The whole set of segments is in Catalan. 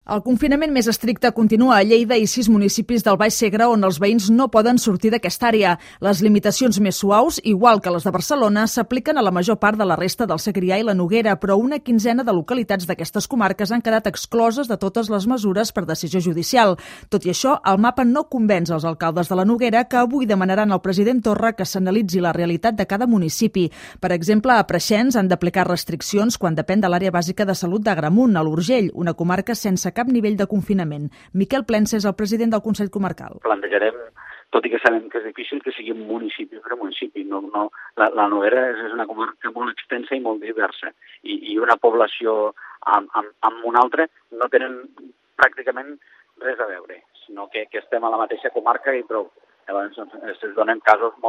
El confinament més estricte continua a Lleida i 6 municipis del Baix Segre on els veïns no poden sortir d'aquesta àrea. Les limitacions més suaus, igual que les de Barcelona, s'apliquen a la major part de la resta del Segrià i la Noguera, però una quinzena de localitats d'aquestes comarques han quedat excloses de totes les mesures per decisió judicial. Tot i això, el mapa no convenç els alcaldes de la Noguera, que avui demanaran al president Torra que s'analitzi la realitat de cada municipi. Per exemple, a Preixens han d'aplicar restriccions quan depèn de l'àrea bàsica de salut d'Agramunt, a l'Urgell, una comarca sense cap nivell de confinament. Miquel Plensa és el president del Consell Comarcal. Plantejarem, tot i que sabem que és difícil, que sigui municipi per municipi. La Noguera és una comarca molt extensa i molt diversa, i una població amb una altra no tenen pràcticament res a veure, sinó que estem a la mateixa comarca i prou. Llavors es donen casos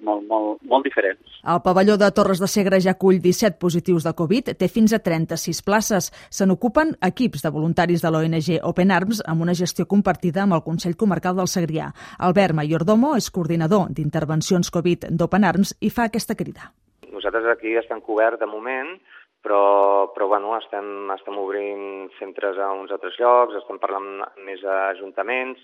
molt diferents. El pavelló de Torres de Segre ja acull 17 positius de Covid, té fins a 36 places. Se n'ocupen equips de voluntaris de l'ONG Open Arms amb una gestió compartida amb el Consell Comarcal del Segrià. Albert Mayordomo és coordinador d'intervencions Covid d'Open Arms i fa aquesta crida. Nosaltres aquí estem coberts de moment, però bueno, estem obrint centres a uns altres llocs, estem parlant més a ajuntaments,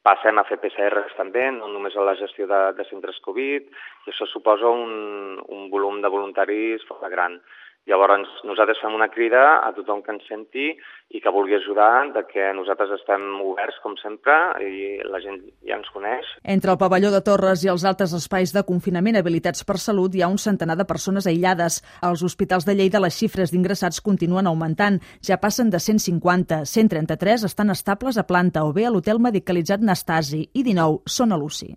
passem a fer PCRs també, no només a la gestió de centres Covid, i això suposa un volum de voluntaris força gran. Llavors, nosaltres fem una crida a tothom que ens senti i que vulgui ajudar, de que nosaltres estem oberts, com sempre, i la gent ja ens coneix. Entre el pavelló de Torres i els altres espais de confinament habilitats per Salut hi ha un centenar de persones aïllades. Als hospitals de Lleida les xifres d'ingressats continuen augmentant. Ja passen de 150, 133 estan estables a planta o bé a l'hotel medicalitzat Nastasi i 19 són a l'UCI.